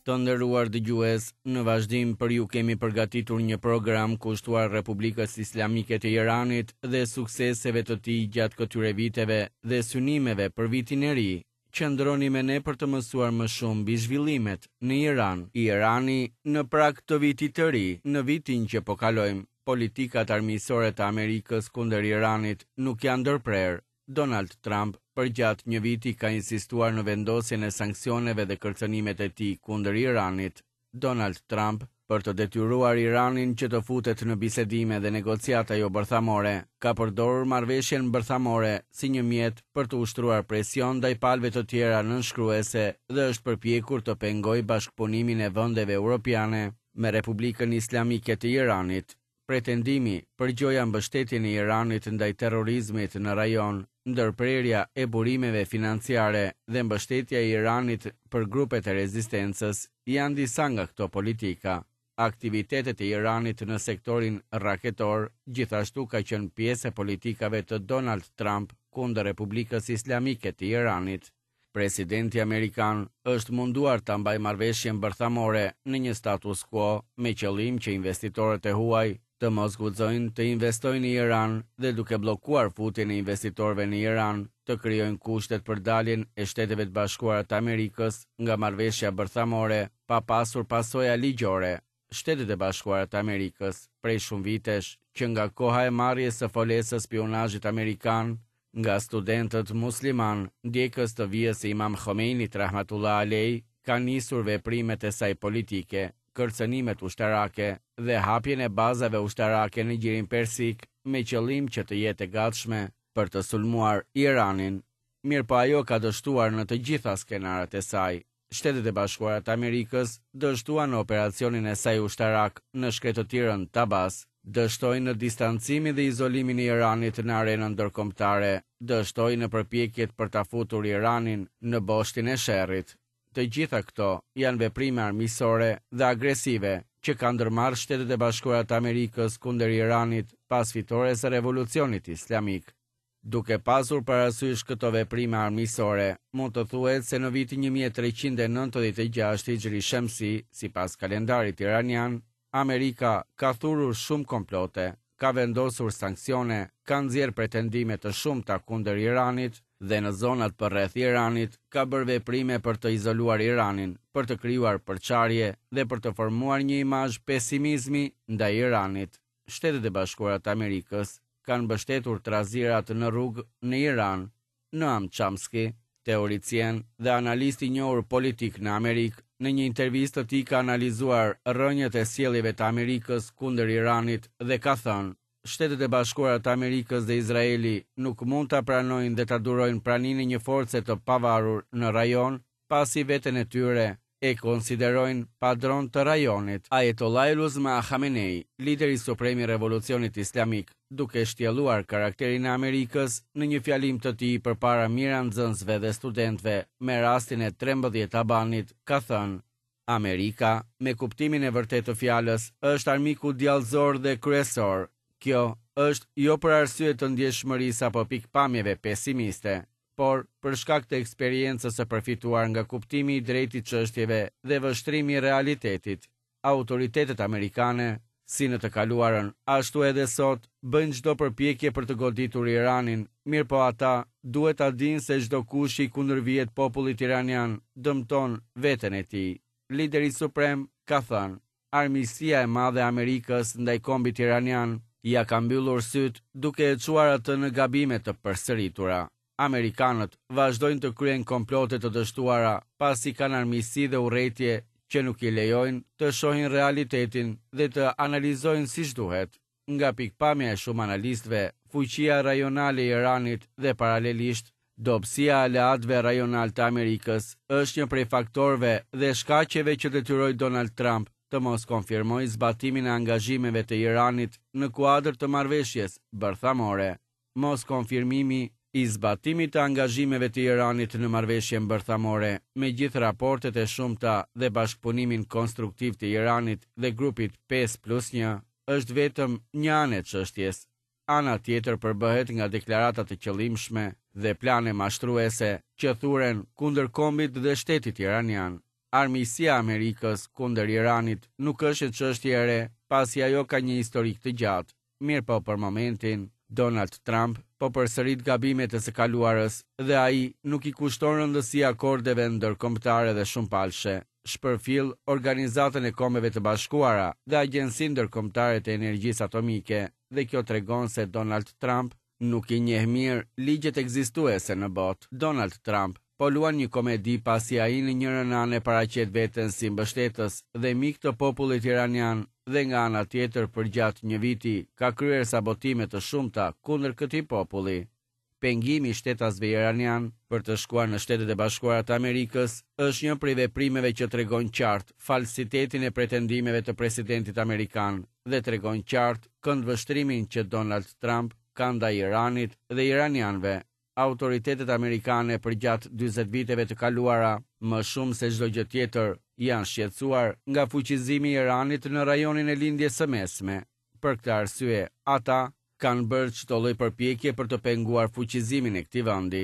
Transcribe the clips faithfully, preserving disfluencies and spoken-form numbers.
Të nderuar dëgjues, në vazhdim për ju kemi përgatitur një program kushtuar Republikës Islamike të Iranit dhe sukseseve të tij gjatë këtyre viteve dhe synimeve për vitin e ri. Qëndroni me ne për të mësuar më shumë mbi zhvillimet në Iran. Irani në prag të vitit të ri, në vitin që po kalojmë, politikat armiqësore të Amerikës kundër Iranit nuk janë ndërprerë. Donald Trump përgjatë një viti ka insistuar në vendosjen e sanksioneve dhe kërcënimet e tij kundër Iranit. Donald Trump, për të detyruar Iranin që të futet në bisedime dhe negociata jo bërthamore, ka përdorur marrëveshjen bërthamore si një mjet për të ushtruar presion ndaj palëve të tjera nënshkruese dhe është përpjekur të pengojë bashkëpunimin e vendeve europiane me Republikën Islamike të Iranit. Pretendimi për gjoja mbështetjen e Iranit ndaj terrorizmit në rajon, ndërprerja e burimeve financiare dhe mbështetja e Iranit për grupet e rezistencës janë disa nga këto politika. Aktivitetet e Iranit në sektorin raketor gjithashtu ka qenë pjesë e politikave të Donald Trump kundër Republikës Islamike të Iranit. Presidenti amerikan është munduar ta mbajë marrëveshjen bërthamore në një status quo me qëllim që investitorët e huaj të mos guxojnë të investojnë në Iran dhe duke bllokuar futjen e investitorëve në Iran, të krijojnë kushtet për daljen e Shteteve të Bashkuara të Amerikës nga marrëveshja bërthamore pa pasur pasoja ligjore. Shtetet e Bashkuara të Amerikës, prej shumë vitesh, që nga koha e marrjes së folesë së spionazhit amerikan nga studentët musliman, ndjekës të vijës së Imam Khomeinit rahmatullah alej, ka nisur veprimet e saj politike, kërcënimet ushtarake dhe hapjen e bazave ushtarake në Gjirin Persik me qëllim që të jetë e gatshme për të sulmuar Iranin. Mirë po ajo ka dështuar në të gjitha skenarët e saj. Shtetet e Bashkuara të Amerikës dështuan në operacionin e saj ushtarak në shkretëtirën Tabas, dështoi në distancimin dhe izolimin e Iranit në arenën ndërkombëtare, dështoi në përpjekjet për ta futur Iranin në boshtin e sherrit. Të gjitha këto janë veprime armiqësore dhe agresive që kanë ndërmarrë Shtetet e Bashkuara të Amerikës kundër Iranit pas fitores së revolucionit islamik. Duke pasur parasysh këto veprime armiqësore, mund të thuhet se në vitin një mijë e treqind e nëntëdhjetë e gjashtë Hijri Shemsi, sipas kalendarit iranian, Amerika ka thurur shumë komplote, ka vendosur sanksione, ka nxjerrë pretendime të shumta kundër Iranit dhe në zonat përreth Iranit ka bërë veprime për të izoluar Iranin, për të krijuar përçarje dhe për të formuar një imazh pesimizmi ndaj Iranit. Shtetet e Bashkuara të Amerikës kanë mbështetur trazirat në rrugë në Iran. Noam Chomsky, teoricien dhe analist i njohur politik në Amerikë, në një intervistë të tij ka analizuar rrënjët e sjelljeve të Amerikës kundër Iranit dhe ka thënë: Shtetet e Bashkuara të Amerikës dhe Izraeli nuk mund ta pranojnë dhe ta durojnë praninë e një force të pavarur në rajon, pasi veten e tyre e konsiderojnë padron të rajonit. Ayatollah Uzma Khamenei, lideri suprem i revolucionit islamik, duke shtjelluar karakterin e Amerikës në një fjalim të tij përpara mijëra nxënësve dhe studentëve me rastin e trembëdhjetë Abanit, ka thënë: Amerika, me kuptimin e vërtetë të fjalës, është armiku djallëzor dhe kryesor. Kjo është jo për arsye të ndjeshmërisë apo pikpamjeve pesimiste, por për shkak të eksperiencës së përfituar nga kuptimi i drejtë i çështjeve dhe vështrimi i realitetit. Autoritetet amerikane, si në të kaluarën, ashtu edhe sot, bëjnë çdo përpjekje për të goditur Iranin, mirë po ata duhet ta dinë se çdo kush i kundërvihet popullit iranian dëmton veten e tij. Lideri suprem ka thënë: armiqësia e madhe e Amerikës ndaj kombit iranian ja ka mbyllur syt duke e çuar atë në gabime të përsëritura. Amerikanët vazhdojnë të kryejnë komplote të dështuara pasi kanë armiqësi dhe urrejtje që nuk i lejojnë të shohin realitetin dhe të analizojnë siç duhet. Nga pikpamja e shumë analistëve, fuqia rajonale e Iranit dhe paralelisht dobësia e aleatëve rajonal të Amerikës është një prej faktorëve dhe shkaqeve që detyroi Donald Trump të mos konfirmojë zbatimin e angazhimeve të Iranit në kuadër të marrëveshjes bërthamore. Mos konfirmimi i zbatimit të angazhimeve të Iranit në marrëveshjen bërthamore, me gjithë raportet e shumta dhe bashkëpunimin konstruktiv të Iranit dhe grupit pesë plus një, është vetëm një anë e çështjes. Ana tjetër përbëhet nga deklarata të qëllimshme dhe plane mashtruese që thuren kundër kombit dhe shtetit iranian. Armiqësia e Amerikës kundër Iranit nuk është një çështje e re, pasi ajo ka një historik të gjatë. Mirëpo për momentin, Donald Trump po përsërit gabimet e së kaluarës dhe ai nuk i kushton rëndësi akordeve ndërkombëtare dhe shumëpalëshe. Shpërfill Organizatën e Kombeve të Bashkuara dhe Agjencinë Ndërkombëtare të Energjisë Atomike dhe kjo tregon se Donald Trump nuk i njeh mirë ligjet ekzistuese në botë. Donald Trump po luan një komedi pasi ai në njërën anë e paraqet veten si mbështetës dhe mik të popullit iranian dhe nga ana tjetër përgjatë një viti ka kryer sabotime të shumta kundër këtij populli. Pengimi i shtetasve iranian për të shkuar në Shtetet e Bashkuara të Amerikës është një prej veprimeve që tregon qartë falsitetin e pretendimeve të presidentit amerikan dhe tregon qartë këndvështrimin që Donald Trump ka ndaj Iranit dhe iranianëve. Autoritetet amerikane përgjatë dyzet viteve të kaluara, më shumë se çdo gjë tjetër, janë shqetësuar nga fuqizimi i Iranit në rajonin e Lindjes së Mesme. Për këtë arsye, ata kanë bërë çdo lloj përpjekje për të penguar fuqizimin e këtij vendi.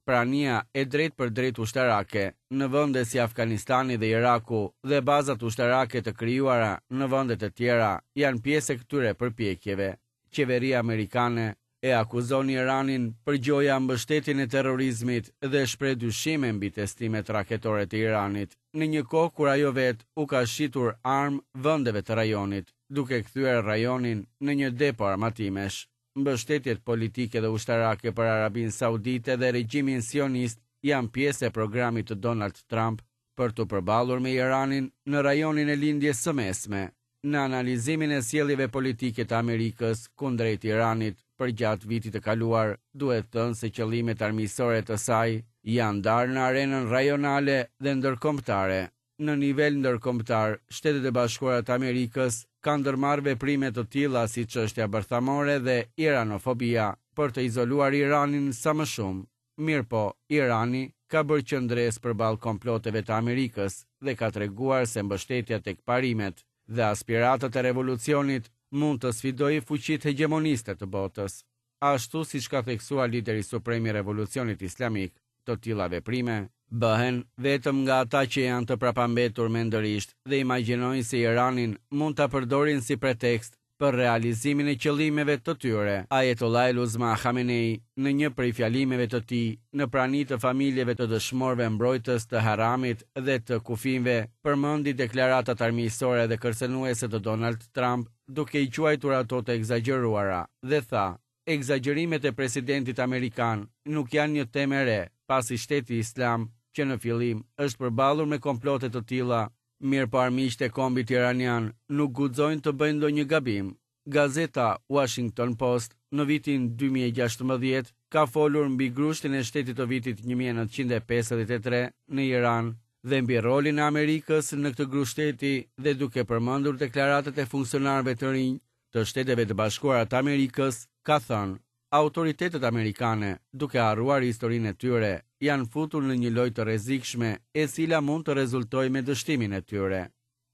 Prania e drejtë për drejtë ushtarake në vende si Afganistani dhe Iraku dhe bazat ushtarake të krijuara në vende të tjera janë pjesë e këtyre përpjekjeve. Qeveria amerikane e akuzon Iranin për gjoja mbështetjen e terrorizmit dhe shpreh dyshime mbi testimet raketore të Iranit, në një kohë kur ajo vetë u ka shitur armë vendeve të rajonit, duke kthyer rajonin në një depo armatimesh. Mbështetjet politike dhe ushtarake për Arabinë Saudite dhe regjimin sionist janë pjesë e programit të Donald Trump për t'u përballur me Iranin në rajonin e Lindjes së Mesme. Në analizimin e sjelljeve politike të Amerikës kundrejt Iranit përgjatë vitit të kaluar, duhet thënë se qëllimet armiqësore të saj janë ndarë në arenën rajonale dhe ndërkombëtare. Në nivel ndërkombëtar, Shtetet e Bashkuara të Amerikës kanë ndërmarrë veprime të tilla si çështja bërthamore dhe iranofobia për të izoluar Iranin sa më shumë. Mirëpo, Irani ka bërë qëndresë përballë komploteve të Amerikës dhe ka treguar se mbështetja tek parimet dhe aspiratat e revolucionit mund të sfidojë fuqitë hegjemoniste të botës. Ashtu siç ka theksuar lideri suprem i revolucionit islamik, të tilla veprime bëhen vetëm nga ata që janë të prapambetur mendërisht dhe imagjinojnë se Iranin mund ta përdorin si pretekst për realizimin e qëllimeve të tyre. Ayatollah Uzma Khamenei, në një prej fjalimeve të tij, në prani të familjeve të dëshmorëve mbrojtës të Haramit dhe të kufinve, përmendi deklaratat armiqësore dhe kërcënuese të Donald Trump, duke i quajtur ato të ekzagjeruara, dhe tha: "Ekzagjerimet e presidentit amerikan nuk janë një temë e re, pasi shteti islam, që në fillim është përballur me komplote të tilla, mirë po armiqtë e kombit iranian nuk guxojnë të bëjnë ndonjë gabim." Gazeta Washington Post në vitin dy mijë e gjashtëmbëdhjetë ka folur mbi grushtin e shtetit të vitit një mijë e nëntëqind e pesëdhjetë e tre në Iran dhe mbi rolin e Amerikës në këtë grusht shteti dhe duke përmendur deklaratat e funksionarëve të rinj të Shteteve të Bashkuara të Amerikës, ka thënë: "Autoritetet amerikane, duke harruar historinë e tyre, janë futur në një lojë të rrezikshme e cila mund të rezultojë me dështimin e tyre."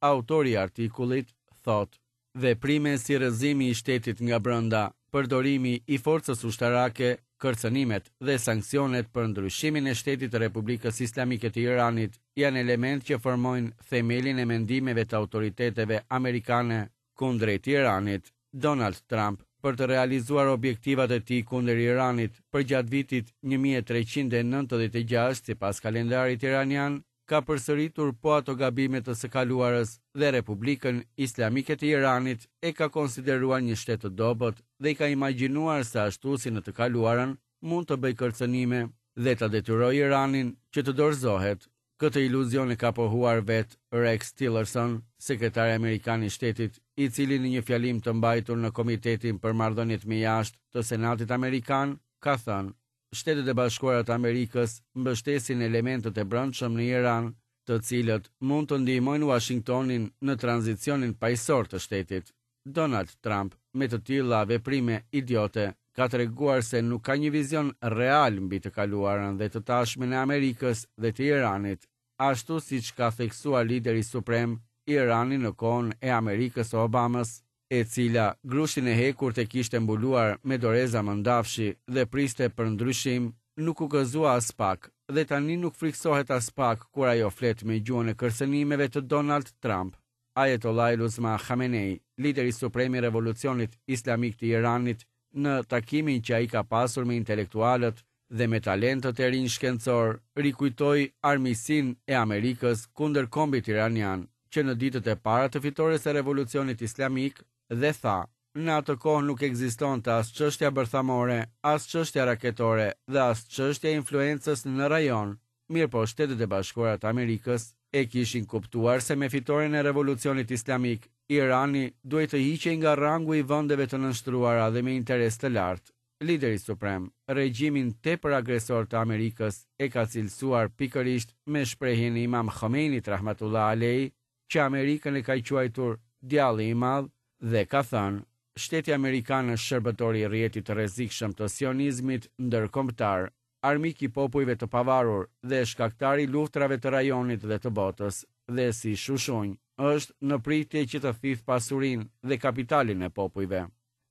Autori i artikullit thotë: "Veprime si rrëzimi i shtetit nga brenda, përdorimi i forcës ushtarake, kërcënimet dhe sanksionet për ndryshimin e shtetit të Republikës Islamike të Iranit janë element që formojnë themelin e mendimeve të autoriteteve amerikane kundrejt Iranit." Donald Trump, për të realizuar objektivat e tij kundër Iranit përgjatë vitit një mijë e treqind e nëntëdhjetë e gjashtë sipas kalendarit iranian, ka përsëritur po ato gabime të së kaluarës dhe Republikën Islamike të Iranit e ka konsideruar një shtet të dobët dhe i ka imagjinuar se ashtu si në të kaluarën mund të bëjë kërcënime dhe ta detyrojë Iranin që të dorëzohet. Këtë iluzion e ka pohuar vetë Rex Tillerson, sekretari amerikan i shtetit, i cili në një fjalim të mbajtur në Komitetin për Marrëdhëniet me Jashtë të Senatit Amerikan, ka thënë: Shtetet e Bashkuara të Amerikës mbështesin elementët e brendshëm në Iran, të cilët mund të ndihmojnë Washingtonin në tranzicionin paqësor të shtetit. Donald Trump, me të tilla veprime idiote, ka treguar se nuk ka një vizion real mbi të kaluarën dhe të tashmen e Amerikës dhe të Iranit, ashtu siç ka theksuar lideri suprem Irani në kohën e Amerikës së Obamës, e cila grushtin e hekurt e kishte mbuluar me doreza mëndafshi dhe priste për ndryshim, nuk u gëzua as pak dhe tani nuk frikësohet aspak kur ajo flet me gjuhën e kërcënimeve të Donald Trump. Ayatollah Uzma Khamenei, lideri suprem i revolucionit islamik të Iranit, në takimin që ai ka pasur me intelektualët dhe me talentët e rinj shkencor, rikujtoi armiqësinë e Amerikës kundër kombit iranian, që në ditët e para të fitores së revolucionit islamik, dhe tha: "Në atë kohë nuk ekzistonte as çështja bërthamore, as çështja raketore dhe as çështja e influencës në rajon." Mirë po Shtetet e Bashkuara të Amerikës e kishin kuptuar se me fitoren e revolucionit islamik, Irani duhej të hiqej nga rangu i vendeve të nënshtruara dhe me interes të lartë. Lideri suprem, regjimin tepër agresor të Amerikës e ka cilësuar pikërisht me shprehjen e Imam Khomeinit rahmatullah alej, që Amerikën e ka quajtur djalli i madh dhe ka thënë: "Shteti amerikan është shërbëtori i rrjetit të rrezikshëm të sionizmit ndërkombëtar, armik i popujve të pavarur dhe shkaktari i luftrave të rajonit dhe të botës, dhe si shushunj është në pritje që të thithë pasurinë dhe kapitalin e popujve."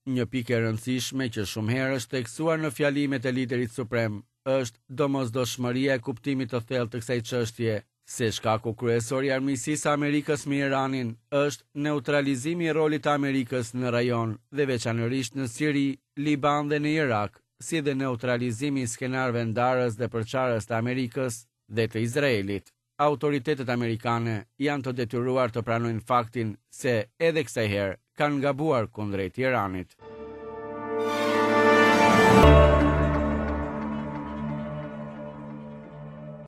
Një pikë e rëndësishme që shumë herë është theksuar në fjalimet e liderit suprem është domosdoshmëria e kuptimit të thellë të kësaj çështje, se shkaku kryesor i armiqësisë së Amerikës me Iranin është neutralizimi i rolit të Amerikës në rajon dhe veçanërisht në Siri, Liban dhe në Irak, si dhe neutralizimi i skenarëve ndarës dhe përçarës të Amerikës dhe të Izraelit. Autoritetet amerikane janë të detyruar të pranojnë faktin se edhe kësaj herë kanë gabuar kundrejt Iranit.